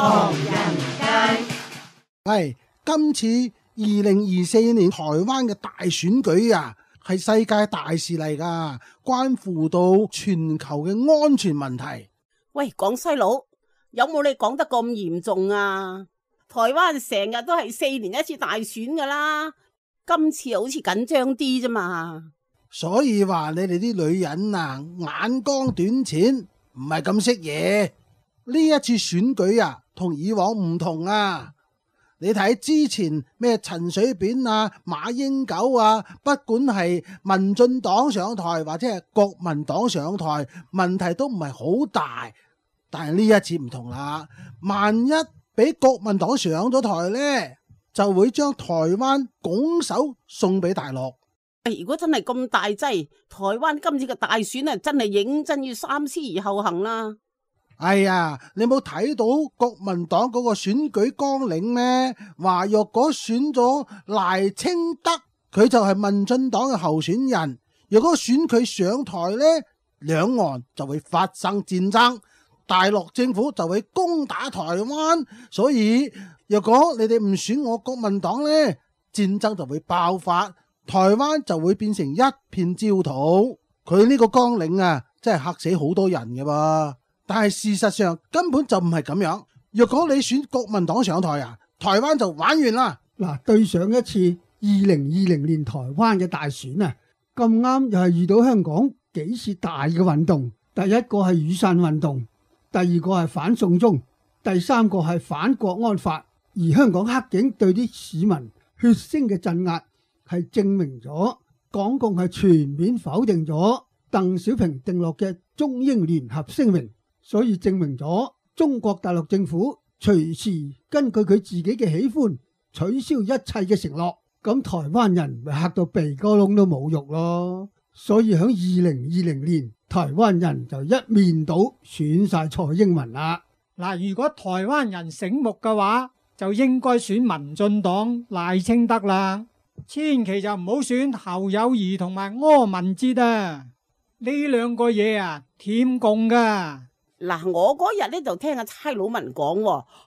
唐人街。係今次2024年台灣嘅大選舉啊，係世界大事嚟噶，關乎到全球嘅安全問題。喂，廣西佬，有冇你講得咁嚴重啊？台灣成日都係4年一次大選噶啦，今次好似緊張啲啫嘛。所以話你哋啲女人啊，眼光短淺，唔係咁識嘢。呢一次選舉啊，同以往唔同啊。你睇之前咩陳水扁啊、馬英九啊，不管係民進黨上台或者係國民黨上台，問題都唔係好大。但係呢一次唔同啦，萬一俾國民黨上咗台呢，就會將台灣拱手送俾大陸。如果真係咁大劑，台灣今次嘅大選啊，真係認真要三思而後行啦。哎呀，你冇睇到國民黨嗰個選舉綱領咩？話若果選咗賴清德，佢就係民進黨嘅候選人。若果選佢上台呢，兩岸就會發生戰爭，大陸政府就會攻打台灣。所以若果你哋唔選我國民黨呢，戰爭就會爆發，台灣就會變成一片焦土。佢呢個綱領啊，真係嚇死好多人嘅噃。但係事實上根本就唔係咁樣。若果你選國民黨上台啊，台灣就玩完啦。嗱，對上一次2020年台灣嘅大選啊，咁啱又係遇到香港幾次大嘅運動。第一個係雨傘運動，第二個係反送中，第三個係反國安法。而香港黑警對啲市民血腥嘅鎮壓，係證明咗港共係全面否定咗鄧小平訂落嘅中英聯合聲明。所以證明咗中國大陸政府隨時根據佢自己嘅喜歡取消一切嘅承諾，咁台灣人咪嚇到鼻哥窿都冇肉咯。所以喺2020年，台灣人就一面倒選晒蔡英文啦。嗱，如果台灣人醒目嘅話，就應該選民進黨賴清德啦，千祈就唔好選侯友宜同埋柯文哲啊，呢兩個嘢啊舔共噶。嗱，我嗰日咧就聽阿差佬文講，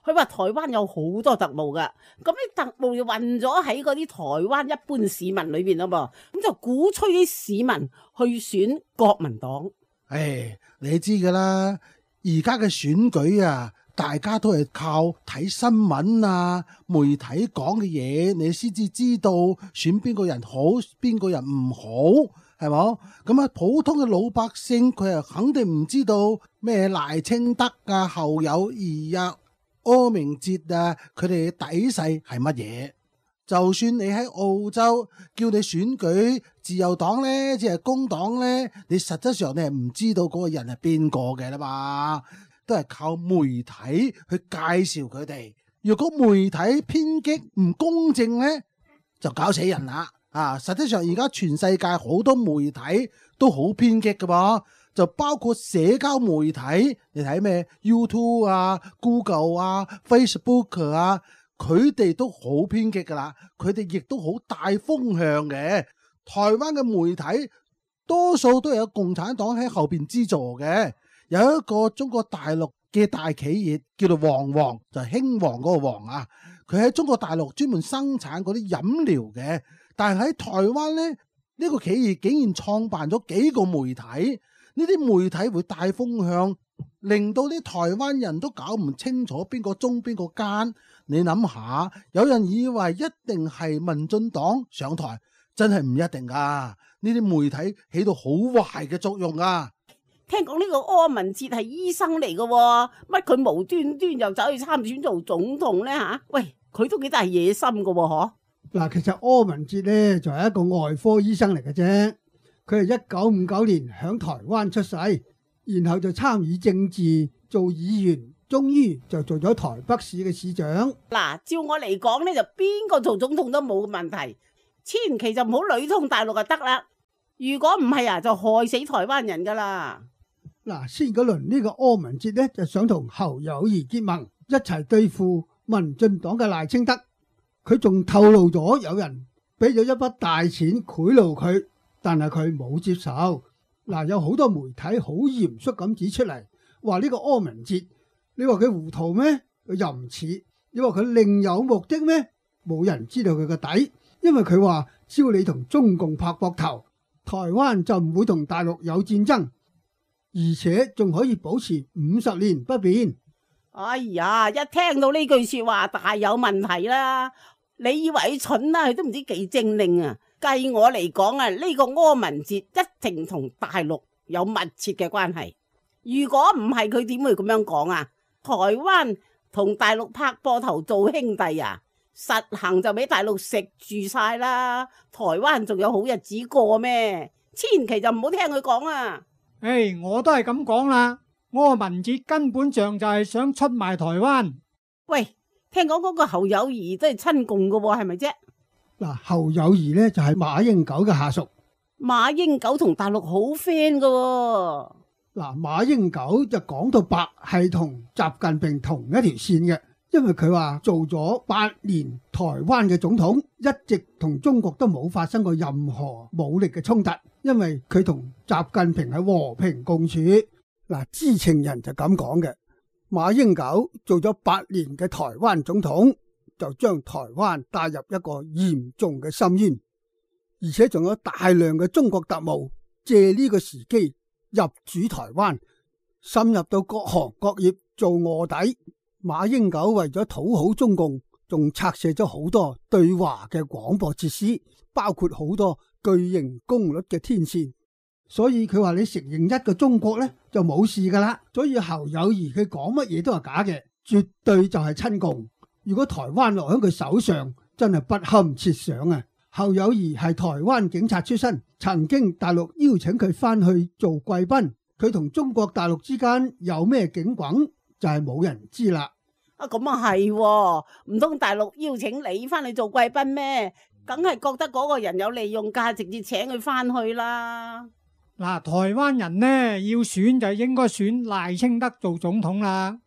佢話台灣有好多特務噶，咁啲特務就混咗喺嗰啲台灣一般市民裏邊啦噃，咁就鼓吹啲市民去選國民黨。唉，你知噶啦，而家嘅選舉啊，大家都係靠睇新聞啊、媒體講嘅嘢，你先至知道選邊個人好，邊個人唔好。係冇咁啊？普通嘅老百姓佢係肯定唔知道咩賴清德啊、侯友宜啊、柯明哲啊，佢哋嘅底細係乜嘢？就算你喺澳洲叫你選舉自由黨呢，即係工黨呢，你實質上你係唔知道嗰個人係邊個嘅啦嘛，都係靠媒體去介紹佢哋。如果媒體偏激唔公正呢，就搞死人啦。實際上而家全世界好多媒體都好偏激嘅噃，就包括社交媒體，你睇咩 YouTube 啊、Google 啊、Facebook 啊，佢哋都好偏激噶啦，佢哋亦都好大風向嘅。台灣嘅媒體多數都有共產黨喺後邊資助嘅，有一個中國大陸嘅大企業叫做旺旺，就係興旺嗰個旺啊，佢喺中國大陸專門生產嗰啲飲料嘅。但係喺台灣呢，呢個企業竟然創辦咗幾個媒體，呢啲媒體會帶風向，令到啲台灣人都搞唔清楚邊個忠邊個奸。你諗下，有人以為一定係民進黨上台，真係唔一定噶。呢啲媒體起到好壞嘅作用啊！聽講呢個柯文哲係醫生嚟嘅，乜佢無端端又走去參選做總統呢？吓？喂，佢都幾大野心嘅嗬。嗱，其實柯文哲咧就係一個外科醫生嚟嘅啫，佢係1959年響台灣出世，然後就參與政治做議員，終於就做咗台北市嘅市長。嗱，照我嚟講咧，就邊個做總統都冇問題，千祈就唔好裏通大陸就得啦。如果唔係啊，就害死台灣人噶啦。嗱，先嗰輪呢個柯文哲咧就想同侯友宜結盟，一齊對付民進黨嘅賴清德。佢仲透露咗有人俾咗一筆大錢賄賂佢，但係佢冇接受。嗱，有好多媒體好嚴肅咁指出嚟，話呢個柯文哲，你話佢糊塗咩？又唔似，你話佢另有目的咩？冇人知道佢個底，因為佢話只要你同中共拍膊頭，台灣就唔會同大陸有戰爭，而且仲可以保持50年不變。哎呀，一聽到呢句說話大有問題啦！你以為佢蠢啦，佢都唔知幾精靈啊！計我嚟講啊，呢個柯文哲一定同大陸有密切嘅關係。如果唔係，佢點會咁樣講啊？台灣同大陸拍膊頭做兄弟啊，實行就俾大陸食住晒啦。台灣仲有好日子過咩？千祈就唔好聽佢講啊！我都係咁講啦。柯文哲根本上就係想出賣台灣。喂，聽講嗰個侯友宜都係親共噶喎，係咪啫？嗱，侯友宜呢就係馬英九嘅下屬。馬英九同大陸好 friend 噶喎。嗱，馬英九就講到白係同習近平同一條線嘅，因為佢話做咗8年台灣嘅總統，一直同中國都冇發生過任何武力嘅衝突，因為佢同習近平係和平共處。嗱，知情人就咁講嘅。馬英九做咗8年嘅台灣總統，就將台灣帶入一個嚴重嘅深淵，而且仲有大量嘅中國特務借呢個時機入主台灣，深入到各行各業做臥底。馬英九為咗討好中共，仲拆卸咗好多對華嘅廣播設施，包括好多巨型功率嘅天線。所以佢話你承認一個中國呢，就冇事噶啦。所以侯友宜佢講乜嘢都係假嘅，絕對就係親共。如果台灣落喺佢手上，真係不堪設想啊！侯友宜係台灣警察出身，曾經大陸邀請佢翻去做貴賓，佢同中國大陸之間有咩景轟，就係冇人知啦。咁啊係，唔通大陸邀請你翻去做貴賓咩？梗係覺得嗰個人有利用價值，直接請佢翻去啦。嗱，台灣人呢要選就應該選賴清德做總統啦。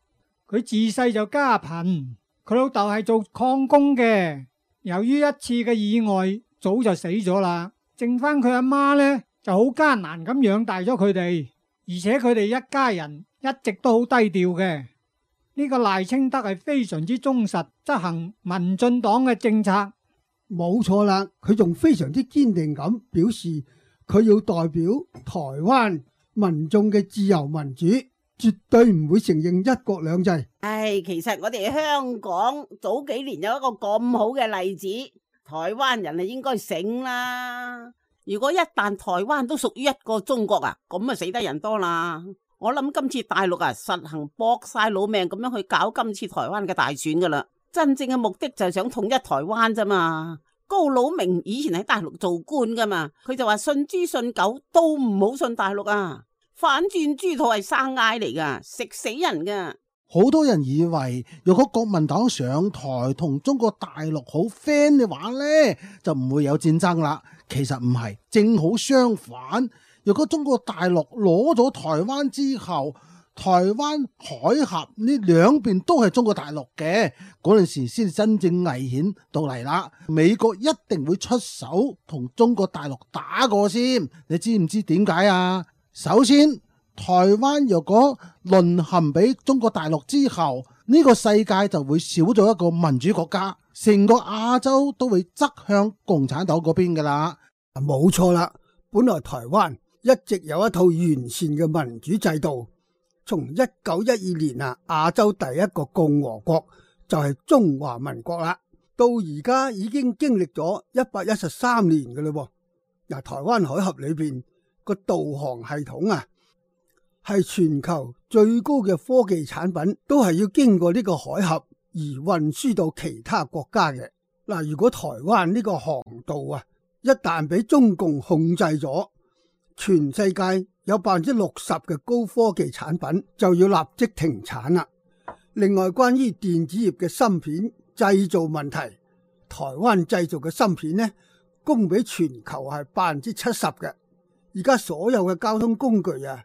佢自細就家貧，佢老豆係做礦工嘅，由於一次嘅意外，早就死咗啦。剩翻佢阿媽呢就好艱難咁養大咗佢哋，而且佢哋一家人一直都好低調嘅。呢個賴清德係非常之忠實，執行民進黨嘅政策。冇錯啦，佢仲非常之堅定咁表示，佢要代表台灣民眾嘅自由民主，絕對唔會承認一國兩制。其實我哋香港早幾年有一個咁好嘅例子，台灣人係應該醒啦。如果一旦台灣都屬於一個中國啊，咁啊死得人多啦。我諗今次大陸啊，實行搏晒老命咁樣去搞今次台灣嘅大選噶啦，真正嘅目的就係想統一台灣咋嘛。高佬明以前喺大陸做官噶嘛，佢就話信豬信狗都唔好信大陸啊，反轉豬肚係生嗌嚟噶，食死人噶。好多人以為如果國民黨上台同中國大陸好 friend 嘅話呢，就唔會有戰爭啦。其實唔係，正好相反。如果中國大陸攞咗台灣之後，台灣海峽呢兩邊都係中國大陸嘅，嗰陣時先真正危險到嚟啦。美國一定會出手同中國大陸打過先，你知唔知點解啊？首先，台灣若果淪陷俾中國大陸之後，呢個世界就會少咗一個民主國家，成個亞洲都會側向共產黨嗰邊噶啦。冇錯啦，本來台灣一直有一套完善嘅民主制度，從1912年啊，亞洲第一個共和國就係中華民國啦，到而家已經經歷咗113年嘅嘞。嗱，台灣海峽裏邊個導航系統啊，係全球最高嘅科技產品，都係要經過呢個海峽而運輸到其他國家嘅。嗱，如果台灣呢個航道啊，一旦俾中共控制咗，全世界有60%嘅高科技產品就要立即停產啦。另外，關於電子業嘅芯片製造問題，台灣製造嘅芯片呢，供俾全球係70%嘅。而家所有嘅交通工具啊，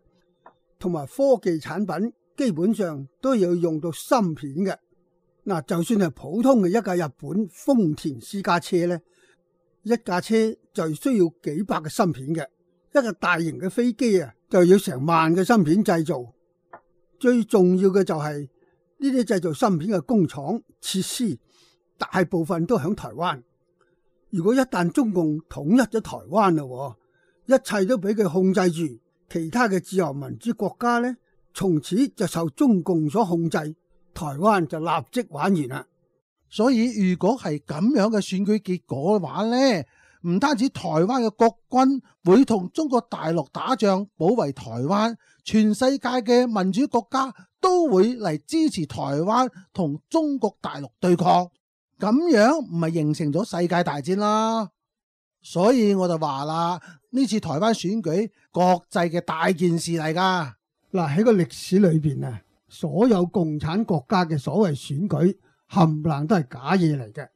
同埋科技產品，基本上都要用到芯片嘅。嗱，就算係普通嘅一架日本豐田私家車呢，一架車就需要幾百個芯片嘅。一個大型嘅飛機啊，就要成萬嘅芯片製造。最重要嘅就係呢啲製造芯片嘅工廠設施大部分都喺台灣。如果一旦中共統一咗台灣啦，一切都俾佢控制住，其他嘅自由民主國家呢，從此就受中共所控制，台灣就立即玩完啦。所以如果係咁樣嘅選舉結果嘅話呢，唔單止台灣嘅國軍會同中國大陸打仗保衛台灣，全世界嘅民主國家都會嚟支持台灣同中國大陸對抗，咁樣唔係形成咗世界大戰啦。所以我就話啦，呢次台灣選舉國際嘅大件事嚟噶。嗱，喺個歷史裏邊啊，所有共產國家嘅所謂選舉冚唪唥都係假嘢嚟嘅，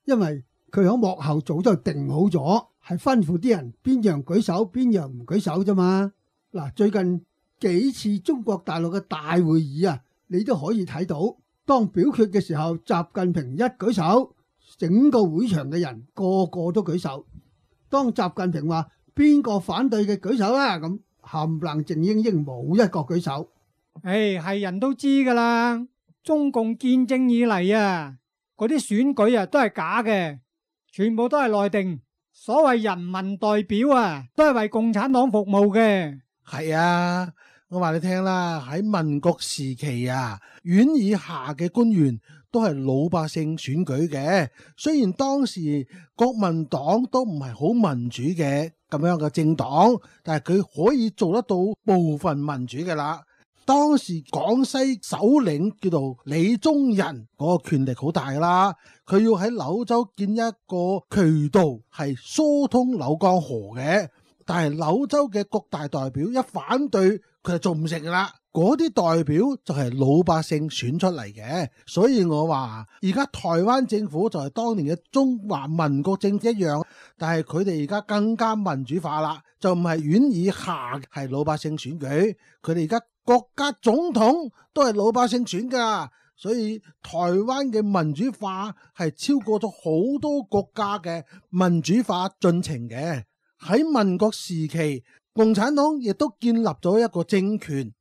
因為佢喺幕後早就定好咗，係吩咐啲人邊樣舉手邊樣唔舉手啫嘛。嗱，最近幾次中國大陸嘅大會議啊，你都可以睇到，當表決嘅時候，習近平一舉手，整個會場嘅人個個都舉手。當習近平話邊個反對嘅舉手啦，咁冚唪唥靜英英冇一個舉手。係人都知噶啦，中共建政以嚟啊，嗰啲選舉啊都係假嘅，全部都係內定。所謂人民代表啊，都係為共產黨服務嘅。係啊，我話你聽啦，喺民國時期啊，縣以下嘅官員都係老百姓選舉嘅。雖然當時國民黨都唔係好民主嘅咁樣嘅政黨，但係佢可以做得到部分民主嘅啦。當時廣西首領叫做李宗仁，嗰個權力好大啦，佢要喺柳州建一個渠道係疏通柳江河嘅，但係柳州嘅各大代表一反對，佢就做唔成噶啦。嗰啲代表就係老百姓選出嚟嘅，所以我話而家台灣政府就係當年嘅中華民國政府一樣，但係佢哋而家更加民主化啦，就唔係縣以下係老百姓選舉，佢哋而家國家總統都係老百姓選噶，所以台灣嘅民主化係超過咗好多國家嘅民主化進程嘅。喺民國時期，共產黨亦都建立咗一個政權，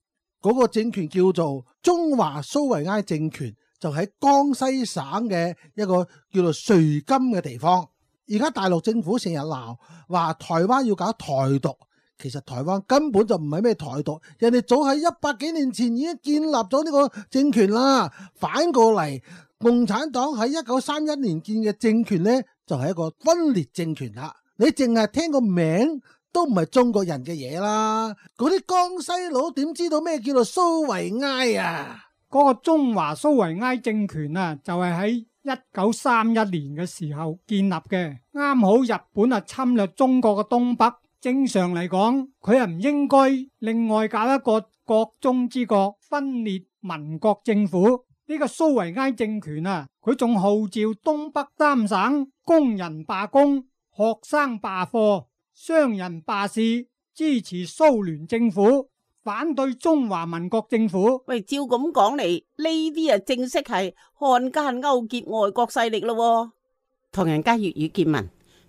嗰個政權叫做中華蘇維埃政權，就喺江西省嘅一個叫做瑞金嘅地方。而家大陸政府成日鬧話台灣要搞台獨，其實台灣根本就唔係咩台獨，人哋早喺100幾年前已經建立咗呢個政權啦。反過嚟，共產黨喺1931年建嘅政權呢，就係一個分裂政權啦。你淨係聽個名都唔係中國人嘅嘢啦，嗰啲江西佬點知道咩叫做蘇維埃啊？嗰個中華蘇維埃政權啊，就係喺1931年嘅時候建立嘅，啱好日本啊侵略中國嘅東北，正常嚟講，佢係唔應該另外搞一個國中之國分裂民國政府。呢個蘇維埃政權啊，佢仲號召東北3省工人罷工、學生罷課、商人罷市，支持蘇聯政府，反對中華民國政府。喂，照咁講嚟，呢啲啊正式係漢奸勾結外國勢力咯。唐人街粵語見聞，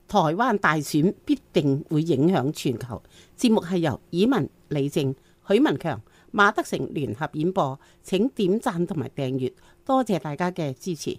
台灣大選必定會影響全球。節目係由以文、李靜、許文強、馬德成聯合演播，請點讚同埋訂閱，多謝大家嘅支持。